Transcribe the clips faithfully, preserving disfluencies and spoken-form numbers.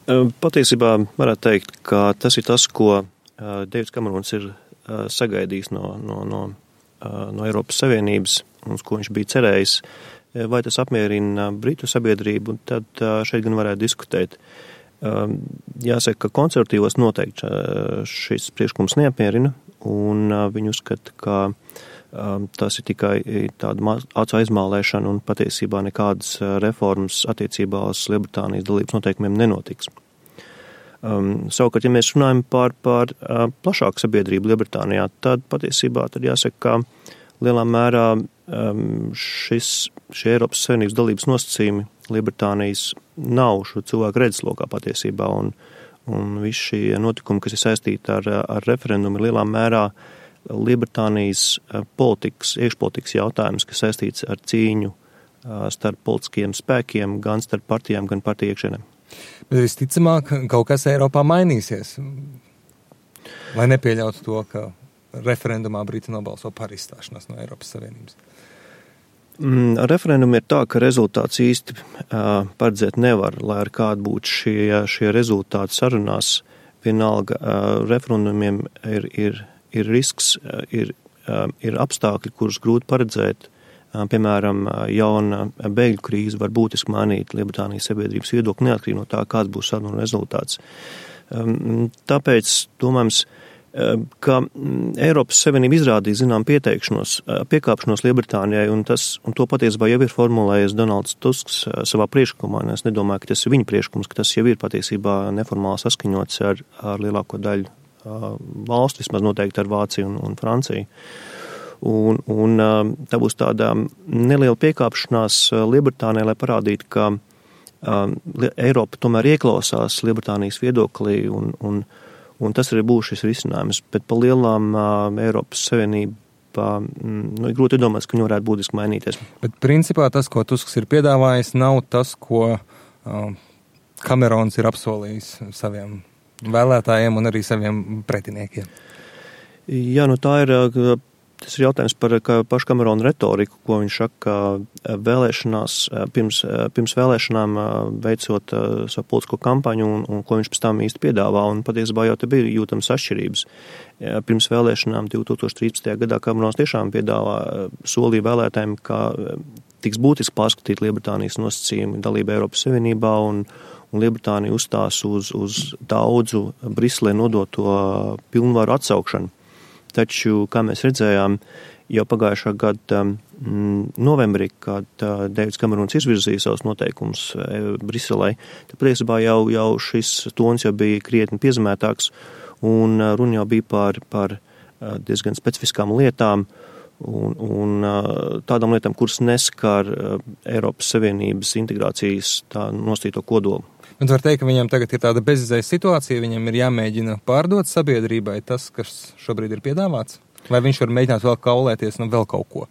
Patiesībā varētu teikt, ka tas ir tas, ko Deivids Kamerons ir sagaidījis no, no, no, no Eiropas Savienības, un ko viņš bija cerējis. Vai tas apmierina Britu sabiedrību, tad šeit gan varētu diskutēt. Jāsaka, ka konservatīvos noteikti šis priekšlikums neapmierina, un viņi uzskata, ka tas ir tikai tāda acu aizmālēšana un patiesībā nekādas reformas attiecībā uz Lielbritānijas dalības noteikumiem nenotiks. Um, savukārt, ja mēs runājam par, par uh, plašāku sabiedrību Lielbritānijā, tad patiesībā tad jāsaka, ka lielā mērā um, šis, šie Eiropas Savienības dalības nosacījumi Lielbritānijas nav šo cilvēku redzeslokā patiesībā, un, un visi šie notikumi, kas ir saistīti ar, ar referendumu, ir lielā mērā Lielbritānijas politikas, iekšpolitikas jautājums, kas saistīts ar cīņu uh, starp politiskiem spēkiem, gan starp partijām, gan partiju iekšienēm. Bet visticamāk, kaut kas Eiropā mainīsies, lai nepieļautu to, ka referendumā Briti nobalso par izstāšanos no Eiropas Savienības. Mm, referendumi ir tā, ka rezultāts īsti uh, paredzēt nevar, lai ar kādu būtu šie, šie rezultāti sarunās. Vienalga, uh, referendumiem ir, ir, ir risks, uh, ir, uh, ir apstākļi, kurus grūti paredzēt. Piemēram, jauna bēgļu krīze var būtiski mainīt Lielbritānijas sabiedrības viedokli neatkarīgi no tā, kāds būs sarunu rezultāts. Tāpēc domājams, ka Eiropas Savienība izrādīja zinām pieteikšanos, piekāpšanos Lielbritānijai, un, tas, un to patiesībā jau ir formulējis Donalds Tusks savā priekšlikumā. Es nedomāju, ka tas ir viņa priekšlikums, ka tas jau ir patiesībā neformāli saskaņots ar, ar lielāko daļu valstu, vismaz noteikti ar Vāciju un, un Franciju. Un, un tā būs tāda neliela piekāpšanās Lielbritānijai, lai parādītu, ka um, Eiropa tomēr ieklausās Lielbritānijas viedoklī, un, un, un tas arī būs šis risinājums. Bet pa lielām uh, Eiropas Savienība, nu, ir grūti domāt, ka viņi varētu būtiski mainīties. Bet principā tas, ko Tusks ir piedāvājis, nav tas, ko uh, Kamerons ir apsolījis saviem vēlētājiem un arī saviem pretiniekiem. Jā, nu tā ir... Uh, Tas ir jautājums par pašu Kamerona retoriku, ko viņš saka vēlēšanās, pirms, pirms vēlēšanām veicot savu politisko kampaņu un, un ko viņš pēc tam īsti piedāvā. Un patiesībā jau te bija jūtams atšķirības. Pirms vēlēšanām divtūkstoš trīspadsmitajā gadā Kamerons tiešām piedāvā solīja vēlētājiem, ka tiks būtiski pārskatīt Lielbritānijas nosacījumi dalība Eiropas Savienībā, un, un Lielbritānija uzstās uz, uz daudzu Briselē nodoto pilnvaru atsaukšanu. Taču, kā mēs redzējām, jau pagājušā gada mm, novembrī, kad uh, Deivids Kamerons izvirzīja savus noteikumus uh, Briselē, tad patiesībā jau, jau šis tons jau bija krietni piezemētāks, un uh, runa jau bija par, par uh, diezgan specifiskām lietām un, un uh, tādām lietām, kuras neskar uh, Eiropas Savienības integrācijas tā nostīto kodolu. Un var teikt, ka viņam tagad ir tāda bezizējas situācija, viņam ir jāmēģina pārdot sabiedrībai tas, kas šobrīd ir piedāvāts? Vai viņš var mēģināt vēl kaulēties no vēl kaut ko?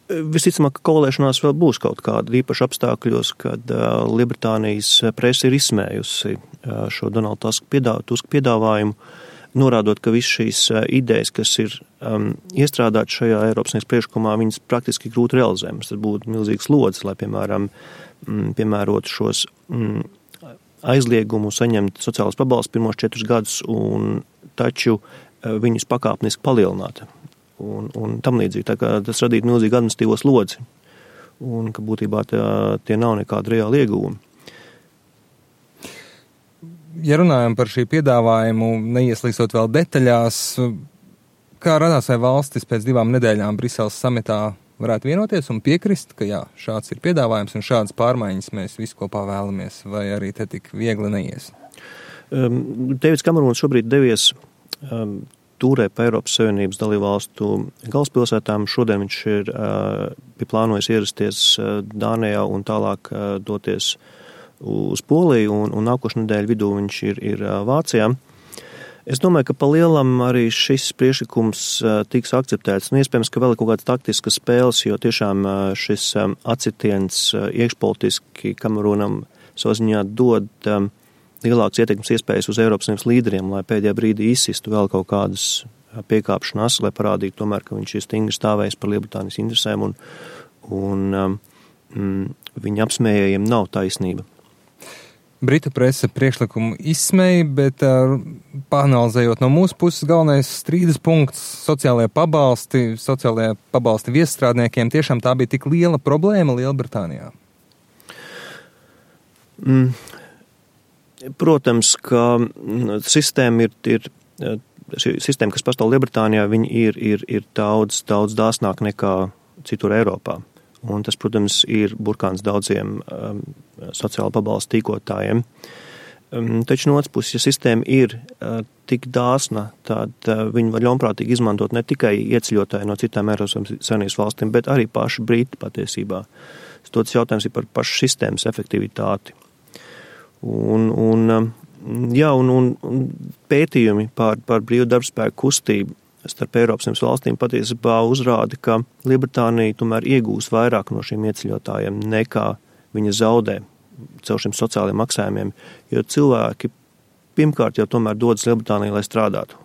Visticamāk, ka kaulēšanās vēl būs kaut kāda īpaši apstākļos, kad uh, Lielbritānijas presa ir izsmējusi uh, šo Donaldu Tusku piedā, piedāvājumu, norādot, ka visas šīs uh, idejas, kas ir um, iestrādātas šajā Eiropas Savienības priekšlikumā, viņas praktiski grūti realizējamas. Tas būtu milzīgs slodzes, lai, piemēram, mm, piemērot šos mm, aizliegumu saņemt sociālas pabalstus pirmos četrus gadus, un taču viņus pakāpeniski palielināt. Un, un tam līdzīgi, tā kā tas radītu milzīgu administratīvo slodzi, un ka būtībā tā, tie nav nekāda reāla ieguvuma. Ja runājam par šī piedāvājumu, neieslīgstot vēl detaļās, kā radās vai valstis pēc divām nedēļām Briseles samitā varētu vienoties un piekrist, ka jā, šāds ir piedāvājums un šādas pārmaiņas mēs visu kopā vēlamies, vai arī te tik viegli neies? Um, Deivids Kamerons šobrīd devies um, tūrē pa Eiropas Savienības dalībvalstu galvaspilsētām. Šodien viņš ir uh, plānojis ierasties uh, Dānijā un tālāk uh, doties uz Poliju, un, un nākošu nedēļu vidū viņš ir, ir uh, Vācijā. Es domāju, ka pa lielam arī šis priekšlikums uh, tiks akceptēts. Nu, iespējams, ka vēl ir kaut kāds taktiskas spēles, jo tiešām uh, šis um, atsitiens uh, iekšpolitiski Kameronam savā ziņā dod um, lielākas ietekmes iespējas uz Eiropas Savienības līderiem, lai pēdējā brīdī izsistu vēl kaut kādas piekāpšanās, lai parādītu tomēr, ka viņš ir stingri stāvējis par Lielbritānijas interesēm, un, un um, viņa apsmējējiem nav taisnība. Britu presa priekšlikumu izsmēja, bet uh, pāanalizējot no mūsu puses galvenais strīdas punkts sociālajie pabalsti, sociālajie pabalsti viesstrādniekiem, tiešām tā bija tik liela problēma Lielbritānijā? Mm. Protams, ka sistēma ir, ir šī sistēma, kas pastāv Lielbritānijā, viņi ir, ir, ir daudz, daudz dāsnāk nekā citur Eiropā. Un tas, protams, ir burkāns daudziem um, sociāla pabalsta tīkotājiem. Um, taču no otras puses, ja sistēma ir uh, tik dāsna, tad uh, viņi var ļaunprātīgi izmantot ne tikai ieceļotāji no citām Eiropas Savienības valstīm, bet arī paši briti patiesībā. Tas jautājums ir par pašu sistēmas efektivitāti. Un, un, jā, un, un, un pētījumi par, par brīvu darbspēku kustību starp Eiropas Savienības valstīm patiesībā uzrāda, ka Lielbritānija tomēr iegūs vairāk no šiem ieceļotājiem nekā viņa zaudē caur šiem sociālajiem maksājumiem, jo cilvēki pirmkārt jau tomēr dodas Lielbritānijā, lai strādātu.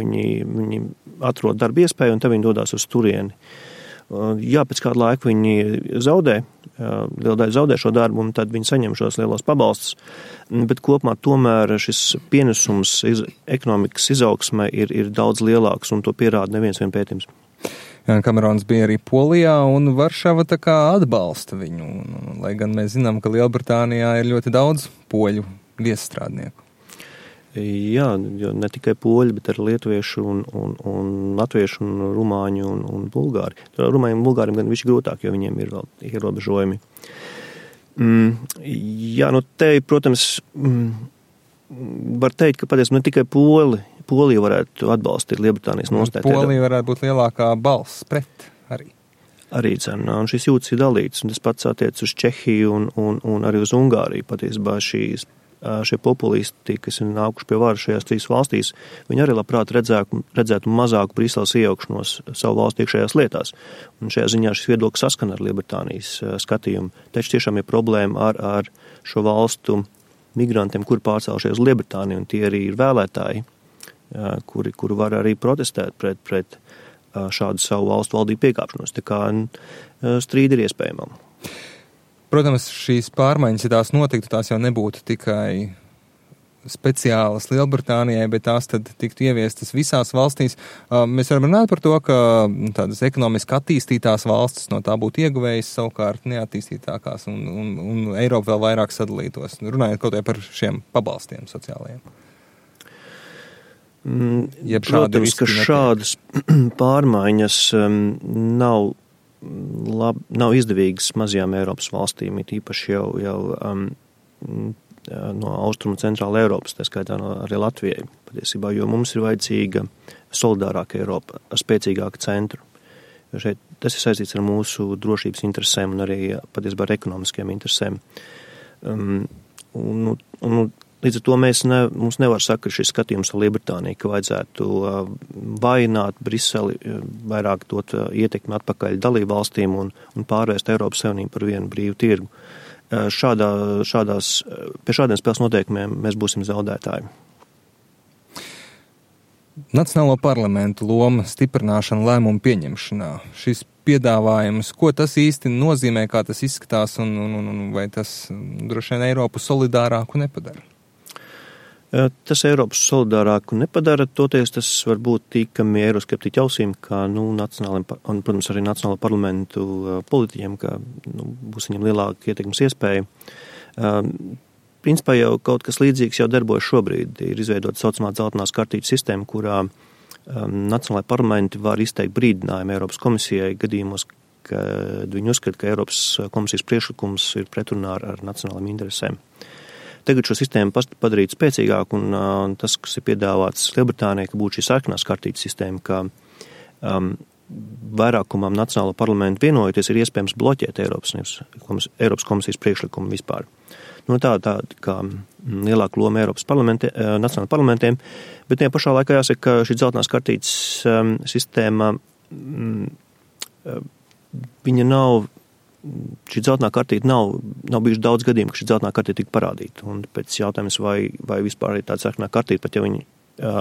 Viņi, viņi atrod darba iespēju un tad viņi dodās uz turieni. Jā, pēc kāda laika viņi zaudē, liela daļa zaudē šo darbu, un tad viņi saņem šos lielos pabalstus, bet kopumā tomēr šis pienesums iz, ekonomikas izaugsmē ir, ir daudz lielāks, un to pierāda neviens vien pētījums. Kamerons bija arī Polijā, un Varšava tā kā atbalsta viņu, un, lai gan mēs zinām, ka Lielbritānijā ir ļoti daudz poļu viesstrādnieku. Jā, jo ne tikai poļi, bet arī lietuvieši un, un, un latvieši un rumāņi un, un bulgāri. Rumāņiem un bulgāriem gan viši grūtāk, jo viņiem ir vēl ierobežojumi. Mm, jā, nu te, protams, mm, var teikt, ka patiesībā ne tikai poli, Polija varētu atbalstīt Lielbritānijas nostāju. Polija varētu būt lielākā balss pret arī. Arī cena, un šis jūtas ir dalīts, un tas pats attiec uz Čehiju un, un, un arī uz Ungāriju. Patiesībā šīs šie populisti, kas ir nākuši pie varas šajās trīs valstīs, viņi arī labprāt redzētu, redzētu mazāku Briseles iejaukšanos savu valstu iekšējās lietās. Un šajā ziņā šis viedoklis saskana ar Lielbritānijas skatījumu. Taču tiešām ir problēma ar, ar šo valstu migrantiem, kuri pārcēlušies uz Lielbritāniju, un tie arī ir vēlētāji, kuri, kuri var arī protestēt pret, pret šādu savu valstu valdību piekāpšanos. Tā kā strīdi ir iespējama. Protams, šīs pārmaiņas, ja tās notiktu, tās jau nebūtu tikai speciālas Lielbritānijai, bet tās tad tiktu ieviestas visās valstīs. Mēs varam runāt par to, ka tādas ekonomiski attīstītās valstis no tā būtu ieguvējas, savukārt neattīstītākās, un, un, un Eiropa vēl vairāk sadalītos. Runājot kaut kā par šiem pabalstiem sociālajiem. Mm, protams, ka šādas pārmaiņas um, nav Lab, nav izdevīgas mazajām Eiropas valstīm, it īpaši jau, jau um, no austrumu centrāla Eiropas, tā skaitā no arī Latvijai, patiesībā, jo mums ir vajadzīga solidārāka Eiropa ar spēcīgāku centru. Jo šeit tas ir saistīts ar mūsu drošības interesēm un arī patiesībā ar ekonomiskiem interesēm. Um, un, un, līdz ar to mēs ne, mums nevar saka šis skatījums ar Lielbritāniju, ka vajadzētu uh, vājināt Briseli, uh, vairāk dot uh, ietekmi atpakaļ dalību valstīm un, un pārvērst Eiropas Savienību par vienu brīvu tirgu. Uh, šādā, šādās, uh, pie šādiem spēles noteikumiem mēs būsim zaudētāji. Nacionālo parlamentu loma stiprināšana lēmumu pieņemšanā. Šis piedāvājums, ko tas īsti nozīmē, kā tas izskatās un, un, un vai tas droši vien Eiropu solidārāku nepadara? Tas Eiropas solidārāku nepadara, toties tas var būt tīkami eiroskeptiķi ausīm, kā, nu, nacionāliem, un, protams, arī nacionālo parlamentu politiķiem, ka, nu, būs viņam lielāka ietekmes iespēja. Um, principā jau kaut kas līdzīgs jau darbojas šobrīd. Ir izveidota saucamā dzeltenās kartītes sistēma, kurā um, nacionālai parlamenti var izteikt brīdinājumu Eiropas komisijai gadījumos, kad viņi uzskata, ka Eiropas komisijas priekšlikums ir pretrunā ar, ar nacionālajiem interesēm. Tagad šo sistēmu padarīt spēcīgāku, un uh, tas, kas ir piedāvāts Lielbritānijai, ka būtu šī sarkanās kartītes sistēma, ka um, vairākumam nacionālo parlamentu vienojoties ir iespējams bloķēt Eiropas, Eiropas komisijas priekšlikumu vispār. Nu, tā tā kā lielāka loma Eiropas parlamente, uh, nacionālajiem parlamentiem, bet ne pašā laikā jāsaka, ka šī dzeltenās kartītes um, sistēma, um, uh, viņa nav šī dzeltenā kartīte nav, nav bijuši daudz gadījumu, ka šī dzeltenā kartīte tika parādīta. Un pēc jautājums, vai, vai vispār ir tāda sarkanā kartīte, pat ja viņi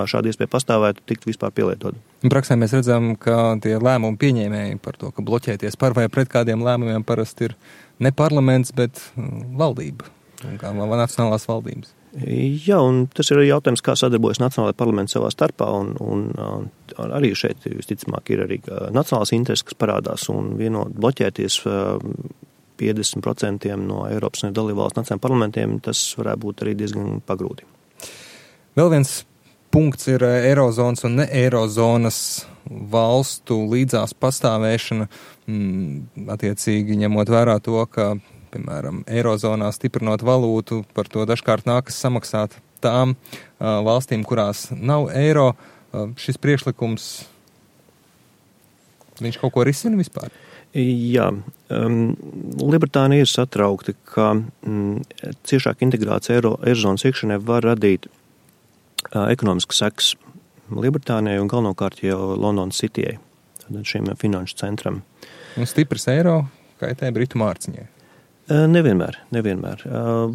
šādi iespēja pastāvētu, tikt vispār pielietot. Praksē mēs redzam, ka tie lēmumu pieņēmēji par to, ka bloķēties par vai pret kādiem lēmumiem parasti ir ne parlaments, bet valdība. un kā nacionālās valdības. Jā, un tas ir arī jautājums, kā sadarbojas Nacionālajā parlamenta savā starpā, un, un, un arī šeit, visticamāk, ir arī nacionālās intereses, kas parādās, un vienot bloķēties piecdesmit procenti no Eiropas un dalībvalstu nacionālajiem parlamentiem, tas varētu būt arī diezgan pagrūti. Vēl viens punkts ir Eirozonas un ne Eirozonas valstu līdzās pastāvēšana, mm, attiecīgi ņemot vērā to, ka piemēram, Eirozonā stiprinot valūtu, par to dažkārt nākas samaksāt tām uh, valstīm, kurās nav eiro. Uh, šis priekšlikums, viņš kaut ko risina vispār? Jā, um, Lielbritānija ir satraukta, ka mm, ciešāka integrācija eiro, Eirozonas iekšienē var radīt uh, ekonomiskas sekas Lielbritānijai un galvenokārt jau Londonas Cityjai, šiem finanšu centram. Un stiprs eiro kaitē Britu mārciņai? Nevienmēr, nevienmēr.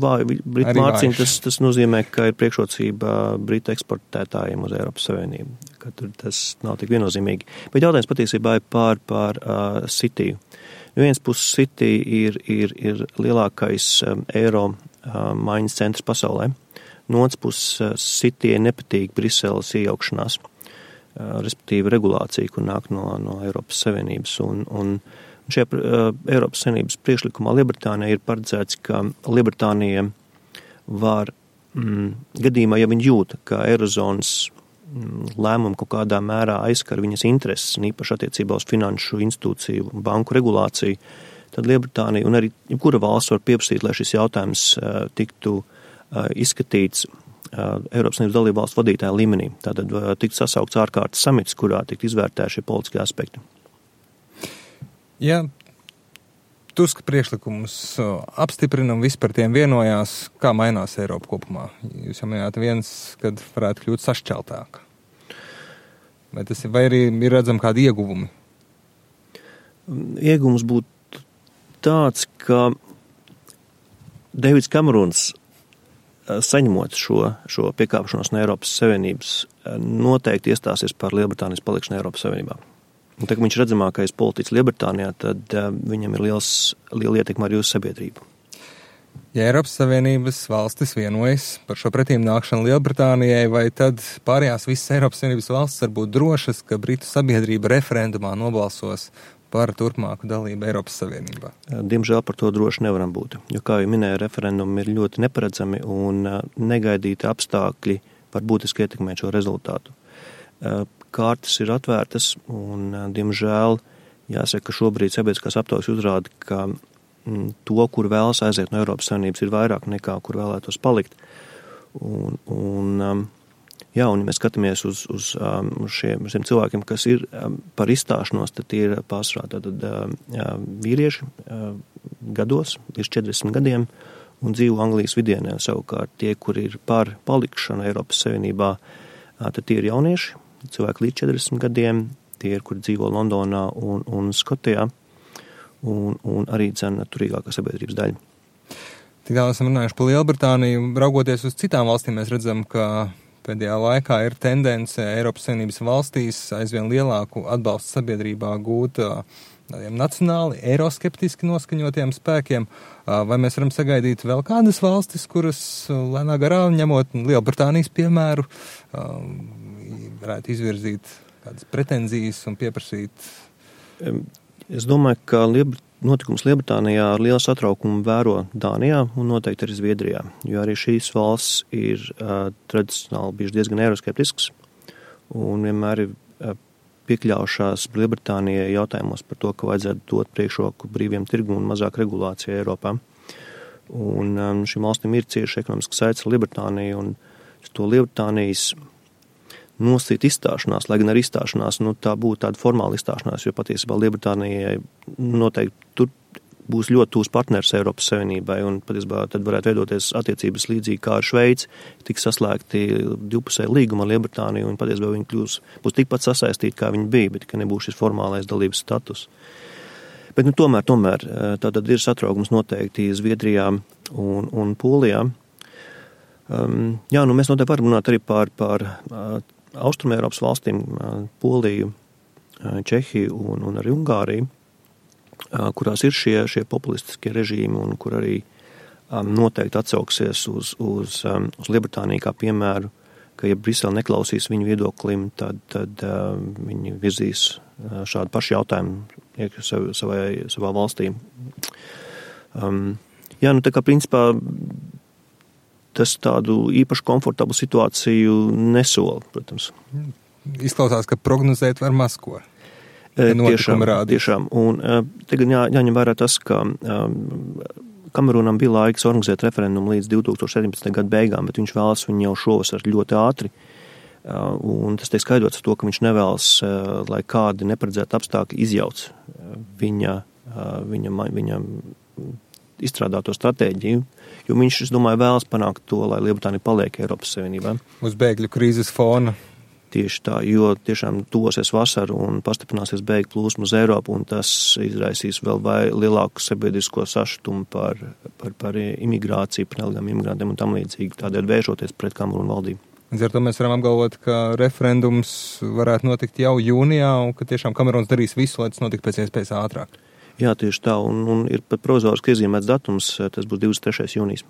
Vāju Britu mārciņu tas, tas nozīmē, ka ir priekšrocība Britu eksportētājiem uz Eiropas Savienību, ka tur tas nav tik viennozīmīgi. Bet jautājums patiesībā ir pār, pār uh, Cityju. No vienas puses City ir, ir, ir lielākais um, eiro uh, maiņas centrs pasaulē. No otras puses uh, Cityjai nepatīk Briseles iejaukšanās, uh, respektīvi regulācija, kur nāk no, no Eiropas Savienības un, un Šajā uh, Eiropas Savienības priekšlikumā Lielbritānijai ir paredzēts, ka Lielbritānija var mm, gadījumā, ja viņi jūt, ka Eirozonas mm, lēmumi kaut kādā mērā aizskar viņas intereses, un īpaši attiecībā uz finanšu institūciju un banku regulāciju, tad Lielbritānija un arī jebkura valsts var pieprasīt, lai šis jautājums uh, tiktu uh, izskatīts uh, Eiropas Savienības dalību valstu vadītāja līmenī. Tātad uh, tiktu sasaukts ārkārtas samits, kurā tiktu izvērtēti šie politiskie aspekti. Ja Tuska priekšlikumus apstiprina un viss par tiem vienojās, kā mainās Eiropa kopumā? Jūs jau minējāt viens, kad varētu kļūt sašķeltāk. Vai, tas ir, vai arī ir redzam kādi ieguvumi? Ieguvums būtu tāds, ka Deivids Kamerons saņemot šo, šo piekāpšanos no Eiropas Savienības noteikti iestāsies par Lielbritānijas palikšanu Eiropas Savienībā. Un tā, ka viņš redzamākais politiķis Lielbritānijā, tad uh, viņam ir liels, liela ietekma arī uz sabiedrību. Ja Eiropas Savienības valstis vienojas par šo pretīm nākšanu Lielbritānijai, vai tad pārējās visas Eiropas Savienības valstis var būt drošas, ka Britu sabiedrība referendumā nobalsos par turpmāku dalību Eiropas Savienībā? Diemžēl par to droši nevaram būt, jo, kā jau minēju, referendumi ir ļoti neparedzami un uh, negaidīti apstākļi var būtiski ietekmēt šo rezultātu. Uh, Kārtas ir atvērtas un, diemžēl, jāsaka, ka šobrīd sabiedriskās aptaujas uzrāda, ka m, to, kur vēlas aiziet no Eiropas Savienības, ir vairāk nekā, kur vēlētos palikt. Un, un, jā, un ja mēs skatāmies uz, uz šiem, šiem cilvēkiem, kas ir par izstāšanos, tad tie ir pārsvarā tad, vīrieši gados, virs četrdesmit gadiem, un dzīvo Anglijas vidienē. Savukārt tie, kur ir par palikšanu Eiropas Savienībā, tad tie ir jaunieši, cilvēki līdz četrdesmit gadiem, tie ir, kur dzīvo Londonā un, un Skotijā, un, un arī dzena turīgākā sabiedrības daļa. Tik tālāk esam runājuši par Lielbritāniju. Raugoties uz citām valstīm, mēs redzam, ka pēdējā laikā ir tendence Eiropas Savienības valstīs aizvien lielāku atbalstu sabiedrībā gūt tādiem nacionāli, eiroskeptiski noskaņotiem spēkiem. Vai mēs varam sagaidīt vēl kādas valstis, kuras lēnā garā, ņemot Lielbritānijas piemēru, varētu izvirzīt kādas pretenzijas un pieprasīt? Es domāju, ka Lieb... notikums Lielbritānijā ar lielu satraukumu vēro Dānijā un noteikti arī Zviedrijā, jo arī šīs valsts ir uh, tradicionāli bijuši diezgan eiroskeptisks un vienmēr ir uh, piekļaušās Lielbritānijai jautājumos par to, ka vajadzētu dot priekšroku brīviem tirgu un mazāk regulācijai Eiropā. Un um, šīm valstīm ir cieši ekonomiski saites ar Lielbritāniju un to Lielbritānijas nosīt izstāšanās, lai gan ar izstāšanās, nu, tā būtu tāda formāla izstāšanās, jo patiesībā Lielbritānijai noteikti tur būs ļoti tūs partners Eiropas Savienībai, un patiesībā tad varētu veidoties attiecības līdzīgi kā ar Šveici, tiks saslēgti divpusēji līguma ar Lielbritāniju, un patiesībā viņi kļūs, būs tikpat sasaistīti, kā viņi bija, bet ka nebūs šis formālais dalības status. Bet, nu, tomēr, tomēr, tātad ir satraukums noteikti Zviedrijā un, un Polijā. Um, jā, nu, mēs noteikti varam runāt arī par, par uh, Austrumē Eiropas valstīm, Poliju, Čehiju un, un arī Ungāriju, kurās ir šie, šie populistiskie režīmi un kur arī noteikti atsauksies uz, uz, uz Lielbritāniju kā piemēru, ka ja Brisele neklausīs viņu viedoklim, tad, tad uh, viņi virzīs uh, šādu pašu jautājumu sav, savai, savā valstī. Um, jā, nu tā kā principā tas tādu īpaši komfortablu situāciju nesola, protams. Izklausās, ka prognozēt var maz ko. Tiešām, tiešām. Un uh, tagad jā, jāņem vērā tas, ka um, Kamerūnam bija laiks organizēt referendumu līdz divi tūkstoši septiņpadsmitā gada beigām, bet viņš vēlas viņu jau šovasar ļoti ātri. Uh, un tas tiek skaidrots ar to, ka viņš nevēlas, uh, lai kādi neparedzēti apstākļi izjauc uh, viņa, uh, viņa, viņa izstrādāto stratēģiju, jo viņš, es domāju, vēlas panākt to, lai Lielbritānija paliek Eiropas Savienībā. Uz bēgļu krīzes fona. Tieši tā, jo tiešām tuvosies vasara un pastiprināsies bēgļu plūsma uz Eiropu, un tas izraisīs vēl vai lielāku sabiedrisko sašutumu par, par, par imigrāciju, par nelegāliem imigrantiem un tam līdzīgi, tādēļ vēršoties pret Kamerūnu valdību. Līdz ar to mēs varam apgalvot, ka referendums varētu notikt jau jūnijā, un ka tiešām Kamerūns darīs visu, lai tas notiktu pēc iespējas ātrāk. Jā, tieši tā, un, un ir pat provizoriski iezīmēts datums, tas būs divdesmit trešais jūnijas.